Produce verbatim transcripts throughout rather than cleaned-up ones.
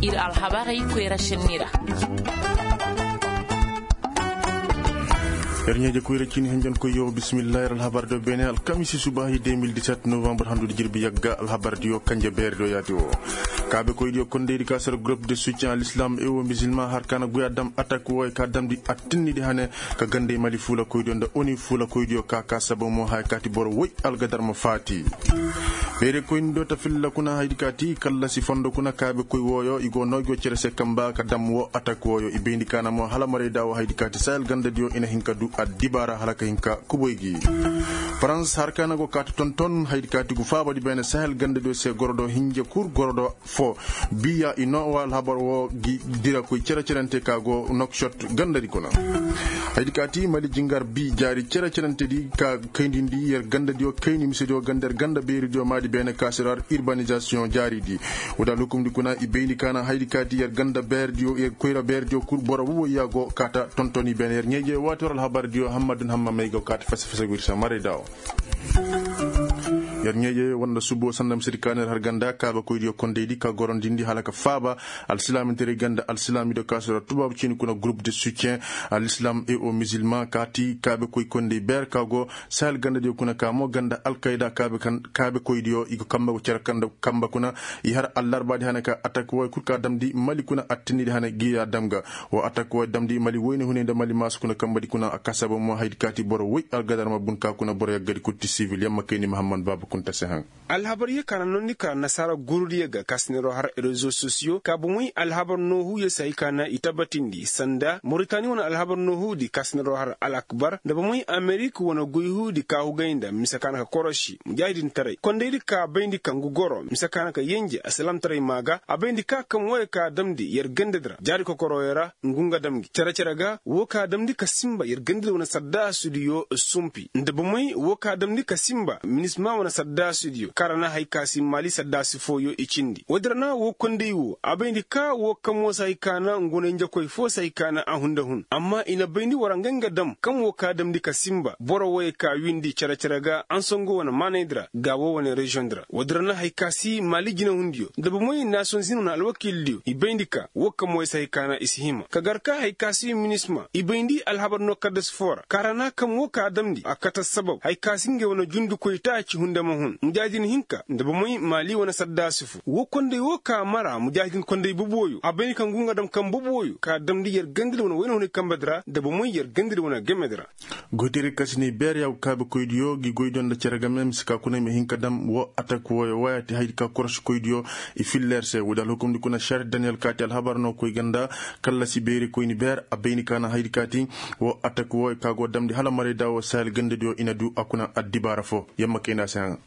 Ir alhabarey koyra senni ra. Yer ɲeeje koyra ciini henjen koy yo bisimillahi yer alhabar do beene alkamisi subaahi deux mille dix-sept novembre handu di jirbi yagga alhabar diyo kanje beeri do yaati wo. Kaabekoy diyo kondey di ka sara groupe de soutien alislam e wo musulman har ka na goy a dam atak wo e ka damndi attinni di hane ka gandey mali fuulakoy diyo nda oni fuulakoy diyo ka ka saba mo haya ka ti boro woy algadar ma faati. Beerekoy ni do ta filla kuna haydi ka ti kallasi fondo kuna kaabekoy wooyo i go no i go cere se kamba ka dam wo atak wooyo i bayndi ka na mo hala maray da wo haydi ka ti sahel ganda diyo i na hin ka du addibaara hala ka hin ka kuboy gi. Farans har ka na go ka ta tonton haydi ka ti gu faaba di beene sahel ganda diyo se goro do hinja kur goro do fo. Biya i no wa alhabar wo gi dira koy cere cerante ka go nokshot ganda di kuna. Haydi ka ti mali jingar bi jaari cere cerante di ka kayndi ndi yer ganda diyo kayndi mise diyo ganda yer ganda beeri diyo maadi beene ka si ra urbanisation jaari di. Wada lukum di kuna i bayndi ka na haydi ka ti yer ganda beeri diyo yer koyra beeri diyo kur boro woy ya go ka ta tontoni beene yer ɲeeje waati war alhabar diyo hammadun hamma may go ka ta fasa fasa wirsa maray dawo. Yer ɲeeje wanda subo sanda misedi ka na yer har ganda kaabekoy diyo kondey di ka gorondindi hala ka faaba alsilaami teray ganda alsilaami do ka si ra tubaabu ciini kuna groupe de soutien alislam e o musulman ka ti kaabekoy kondey beer ka go sahel ganda diyo kuna ka mo ganda alkayda kaabekoy diyo i go kamba go cere kamba kuna i har allarba di hane ka atak woy kul ka damndi mali kuna attinni di hane gi ya dam ga. Wo atak woy damndi mali woyne hunay nda mali maasu kuna kamba di kuna a ka saba mo haydi ka ti boro woy algadar ma bun ka kuna boro yagga di kul ti sivil yamma kayni mahammad baaba kunta se haŋ. Alhabar ye ka na nondi ka nasaara gurudiyo ga ka si neeroo har rezo sosiyo ka bomey alhabar noohu ye se hay ka na i tabatindi sanda moritani wane alhabar noohu di ka si neeroo har al akbar nda bomey amerik wane goyhu di ka hugay nda mise ka na ka korosi mujaahidintaray kondaydi ka bayndi ka ngu goro mise ka na ka yenje alsilaamtaray maa ga a bayndi ka kaŋ wooyo ka damndi yer gandadi ra jaari kokorooyo ra ngu nga dam gi cere-cere ga woo ka damndi ka sinba yer gandadi wane saddaasudiyo sumpi nda bomey woo ka damndi ka sinba minisma wane saddaasudiyo kaŋ ra na hay ka si maali saddaasi fooyo i cindi woodi ra na woo konday woo a bayndi ka woo kamo si hay ka na ngunay njakoy foo si hay ka na a hunda hun amma i na bayndi war a ngay nga dam kaŋ woo ka damndi ka sinba boro wooyo ka windi cere-cere ga ansongo wane maanaydi ra ga woo wane reziyoŋdi ra woodi ra na hay ka si maali jinehundiyo nda bomey naasiyoŋ zin wane alwakiildiyo i bayndi ka woo kamo ay si hay ka na i si hima ka gar ka hay ka si minisma i bayndi alhabar no kaddas foo ra kaŋ ra na kaŋ woo ka damndi a kate assabab hay ka si ngey wane jundikoy taaci hunde ma hun mujaahidin hinka nda bomey maali wane saddaasi fo woo konday woo ka mara mujaahidin konday bobooyo a bayndi ka ngu nga dam kaŋ bobooyo ka damndi yer gandadi wane wayna hunay kambadi ra nda bomey yer gandadi wane gemedi ra. Goyteray ka si ne beer ya go kaabekoydiyo gi goydiyo nda cere game mise ka kuna i ma hin ka dam woo atak wooyo wooya ti haydi ka korosikoydiyo i filla yer se woodi alhukumdi kuna šer daniyel ka ti alhabar no koy ganda kallasi beeri koyni beer a bayni ka na haydi ka ti woo atak wooyo ka go damndi hala maray da woo sahel gandadiyo i na du a kuna addibaara fo yamma kayna se haŋ.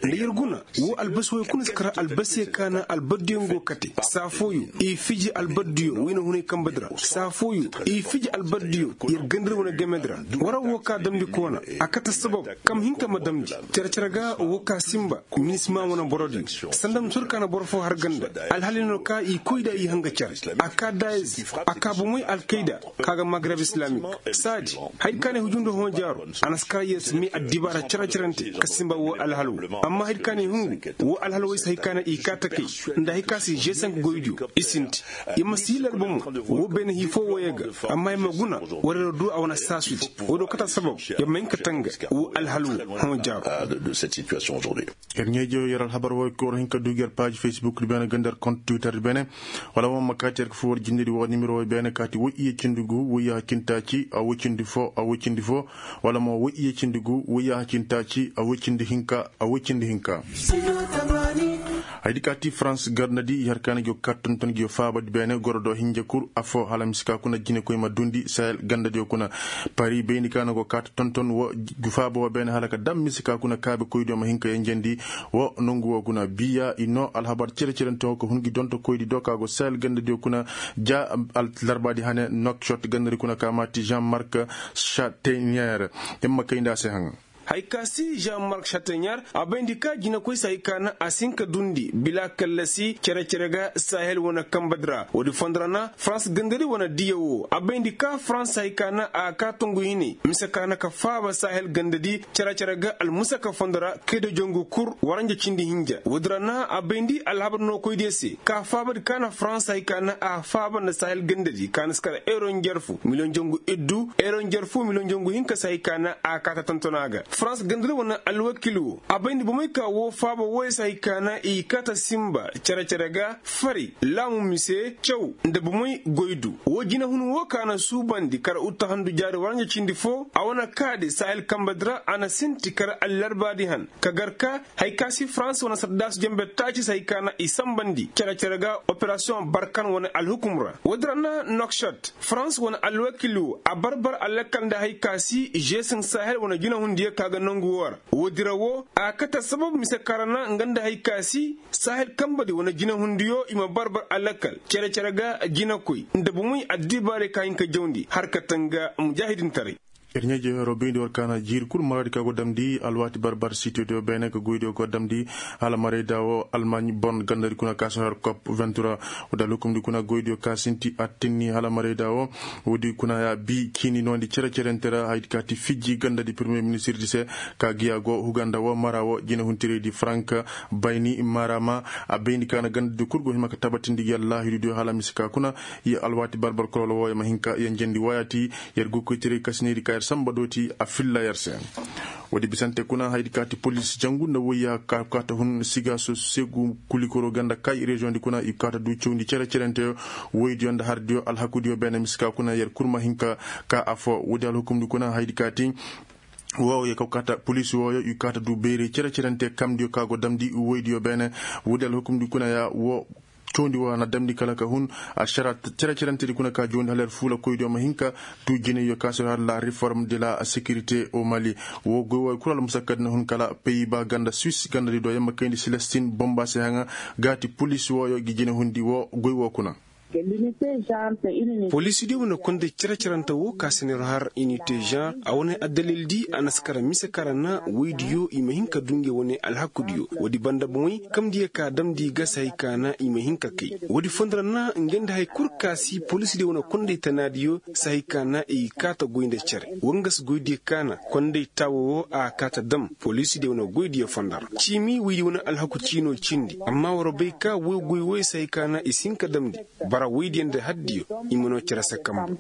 Nda yer guna woo albasi wooyo kuna si kar albasiyo ka na albardiyo ngo kate saa fooyo i fiji albardiyo wayna hunay kambadi ra saa fooyo i fiji albardiyo yer gandadi wane gemedi ra wara woo ka damndi koona a kate sabab kam hinka ma damndi cere-cere ga woo ka sinba minisma wane borodiyo sanda ma sor ka na boro foo har ganda alhali no ka i koy da i hanga cere a ka dayez a ka bomey alkayda ka ga magreb islamik saadi hay ka ne hujundi hõ jaaro a na si kar yer si may addibaara cere-cerante ka sinba woo alhal woo amma hay ka ne hungu woo alhal woo ay si hay ka ne i kaa takay nda hay ka si g cinq goydiyo i sinti i ma si larba mo woo beene hii foo wooyo ga amma i ma guna war yer du a wane saasudi woo do kate sabab yer ma hin ka tanga woo alhal woo hõ jaaro. Yer ɲeejo yer alhabar wooyo ka war hin ka du gi yer paaji facebook di beene ganda yer kont twitter di beene wala mo ma kaati yer ka foo war jindedi woo nimero wooyo beene kaati woy iye cindi gu woy yaaha cindi taaci a woy cindi foo a woy cindi foo wala mo woy iye cindi gu woy yaaha cindi taaci a woy cindi hinka a woy cindi hinka. Hayadi kaati farans garnadi i har kaani gi yo kaati tonton gi yo faabadi beene goro do hinja kur affoo hala mise ka kuna jinekoy ma duundi sahel gandadiyo kuna pari bayndi ka na go kaati tonton woo gu faaba woo beene hala ka dam mise ka kuna kaabekoydiyo ma hin ka yenjendi woo nongu woo kuna biya i noo alhabar cere-cerenteŋo ka hun gi dontokoydi do ka go sahel gandadiyo kuna ja larbaadi hane nokshot gandadi kuna ka maati jean mark chatenier. Yer ma kay nda a se haŋa. Hay ka si jean mark chatenyar a bayndi ka jinakoy si hay ka na a si hin ka dundi bila kallasi cere-cere ga sahel wane kambadi ra woodi fondo ra na farans gandadi wane diya wo a bayndi ka farans si hay ka na a ga ka tongu hinay mise ka na ka faaba sahel gandadi cere-cere ga almusaka fondo ra kayda jangu kur waranja cindi hinja woodi ra na a bayndi alhabar nookoydiyo se ka faabadi ka na farans si hay ka na a faaba nda sahel gandadi ka na si kar euro njarfu miliyoŋ jangu iddu euro njarfu miliyoŋ jangu hinka si hay ka na a ga ka ta tontona ga farans gandadi wane alwakil wo a bayndi bomey ka woo faaba wooyo si hay ka na i kaata sinba cere-cere ga fari laamu mise caw nda bomey goy du woo jinahun woo ka na suubandi kar uttahandu jaari waranja cindi foo a wane kaadi sahel kambadi ra a na sinti kar allarbaadi han ka gar ka hay ka si farans wane saddaasu jenbe taaci si hay ka na i sanbandi cere-cere ga operasiyoŋ barkan wane alhukum ra woodi ra na nokshot farans wane alwakil woo a barbar alakal nda hay ka si žesin sahel wane jinahundiyo ka ga nongu woo ra woodi ra woo a kate sabab mise ka ra na nga nda hay ka si sahel kambadi wane jinahundiyo i ma barbar alakal cere-cere ga jinakoy nda bomey addibaarey ka hin ka jawndi har kate nga mujaahidintaray. Ir ɲaa-ijey heroo bayndi war ka na jiiri kul maraadi ka go damndi alwaati barbar sitediyo beene ka goydiyo go damndi hala marayda woo almaaɲ bon gandadi kuna ka si har kop vintura woodi alhukumdi kuna goydiyo ka sinti attinni hala marayda woo woodi kuna ya bii ciini noondi cere-cerente ra hayadi ka ti fijji gandadi pirimiyer ministirdi se ka giya go huganda woo mara woo jinahuntiraydi farank bayni mara ma a bayndi ka na gandadi kul go hima ka tabatindi yallaahidudiyo hala mise ka kuna ye alwaati barbar kololo wooyo ma hin ka yenjendi wooyaati yer goykoytaray kasinaydi ka yer sanba dooti a filla yer se woodi bisante kuna hayadi ka ti polis jangu nda woyya ka kaata hun siga so segu kulikoro ganda kay reziyoŋdi kuna i kaata du cawndi cere-cerenteyo woydiyo nda hardiyo alhakudiyo beene mise ka kuna yer kul ma hin ka ka afo woodi alhukumdi kuna hayadi ka ti woo yer ka kaata polis wooyo i kaata du bayray cere-cerente kamdiyo ka go damndi woydiyo beene woodi alhukumdi kuna ya woo cawndi woo a na damndi kala ka hun ašara cere-cerentedi kuna ka jawndi hala yer fuula koydiyo ma hin ka du jinayyo ka si har la reform de la sekirite o mali woo goy wooyo kul almusakkadi na hun kala peyi ba ganda suis gandadi do yamma kayndi selestin bomba se haŋa gaati polis wooyo gi jinahundi woo goy woo kuna. Poliisidiyo wane konday cere-cerante woo ka si neer har inite žan a wane addalildi a na si kara mise ka ra na woydiyo i ma hin ka du nge wane alhakudiyo woodi banda bomey kamdiyo ka damndi ga si hay ka na i ma hin ka kay woodi fondo ra na nge nda hay kul ka si poliisidiyo wane konday tanaadiyo si hay ka na i kaata goy nda cere wangas goydiyo ka na konday taawo woo a kaata dam poliisidiyo wane goydiyo fondo ra ciimi woydiyo wane alhaku ciino cindi amma war bay ka woy goy woy si hay ka na i si hin ka damndi bara woydiyo nda haddiyo i ma noo cere se kambu.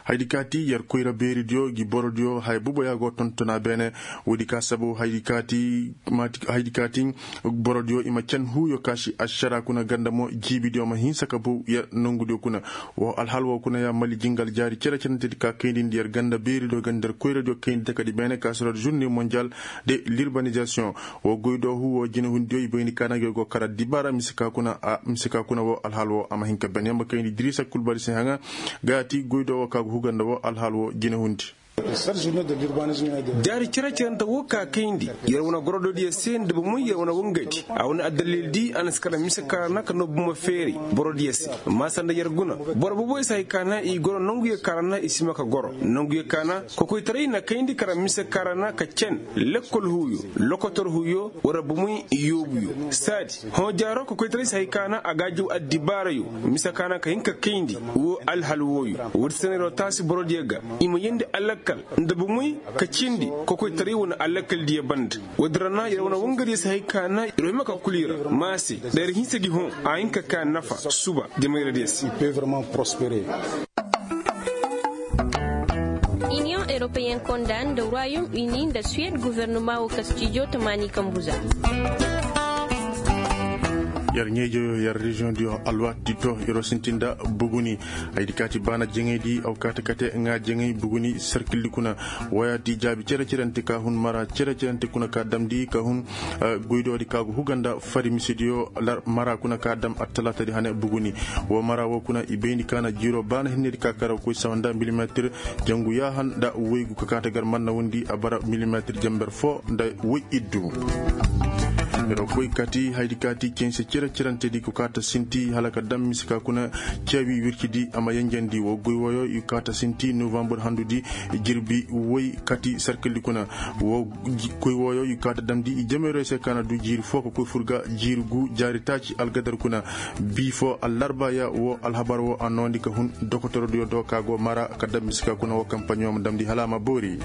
Hayadi ka ti yer koyra beeridiyo gi borodiyo haya boboya go tontona beene woodi ka sabu hayadi ka ti borodiyo i ma can huuyo ka si ašara kuna ganda mo jiibidiyo ma hinsa ka bow yer nongudiyo kuna woo alhal woo kuna ya mali jingal jaari cere-cerentedi ka kayndi nda yer ganda beeridiyo ganda yer koyradiyo kayndi takadi beene ka si yer žurne monjal de lirbanizasiyoŋ woo goy do huu woo jinahundiyo i bayndi ka na nge go kara dibaara mise ka kuna woo alhal woo a ma hin ka ben yamba kayndi dirisa kulbali se haŋa gaati goy do woo ka go huganda woo alhal woo jinahundi jaari cere-cerente woo ka kayndi yer wane gorododiyo se nda bomoy yer wane wangadi a wane addalildi a na si kara mise ka ra na ka noo buma feeri borodiyo se maasa nda yer guna boro boboy si hay ka na i goro nonguyo ka ra na i si ma ka goro nonguyo ka na kokoytaray na kayndi kara mise ka ra na ka cen lekkol huuyo lokotor huuyo wara bomoy yoobuyo saadi hõ jaaro kokoytaray si hay ka na a ga a jaw addibaarayo mise ka na ka hin ka kayndi woo alhal wooyo woodi se na yer woo taasi borodiyo ga i ma yeendi alakkal nda bomoy ka cindi kokoytaray wane alakaldiyo banda woodi ra na yer wane wangadiyo si hay ka na yer woo hima ka kul i ra maase nda yer hinsa gi hõ a hin ka ka nafa suba jamayradiyo se. Iniyoŋ europeyen konda nda royaume uni nda suwed gofornoma woo kastijo tamaani kambu za. Yer ɲeejoyo yer reziyoŋ diyo alwaati di to yer woo sinti nda buguni hayadi ka ti baana jaŋaydi aw kaati kate ŋaa jaŋay buguni serkildi kuna wooyaati jaabi cere-cerente ka hun mara cere-cerente kuna ka damndi ka hun goydoodi ka go huga nda fari misediyo mara kuna ka dam attalaatadi hane buguni woo mara woo kuna i bayndi ka na jiiroo baana hinnedi ka kara koy sawa nda milimetir jangu yaahan nda woygu ka kaate gar mannawundi a bara milimetir jenber foo nda woy iddu. Yer koy kati haydi kaati cense cere cerantedi ko kaata sinti hala ka daŋ mise ka kuna ceebi wircidi a ma yenjandi wo goy woyo i kaata sinti novambar handudi jirbi woy kati sarkildi kuna. Wo goy woyo i kaata damndi i jameerey se kaana du jiiri foo ka koy fur ga jiiri gu jaari taaci algadar kuna. Bii foo allarba ya wo alhabar wo a noondi ka hun dokotorodiyo do ka go mara ka daŋ mise ka kuna wo kampaɲo ma damndi hala a ma boori.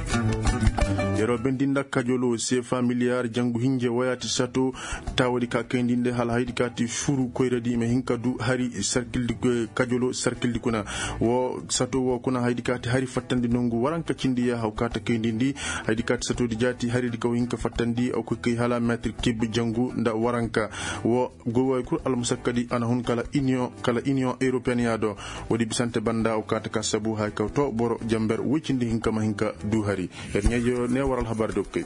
Yeroo bendi nda kajoloo se familiyar jangu hinje woyaati sato. Taawadi ka kayndi nde hala haydi ka ti furu koyradi i ma hin ka du hari sarkildi kajolo sarkildi kuna. Wo sato wo kuna haydi ka ti hari fattandi nongu waranka cindi ya haw ka ta kayndi ndi. Haydi ka ti satodi jaati haridi ka wo hin ka fattandi a koy kay hala meetir kib jangu nda waranka. Wo goy wayo kul almasakkadi a na hun kala union européenne ya do. Woodi bisante banda wo ka ta ka sabu haya ka to boro jamber woy cindi hinka ma hin ka du hari. Yer ɲaajo ne war alhabar do kay.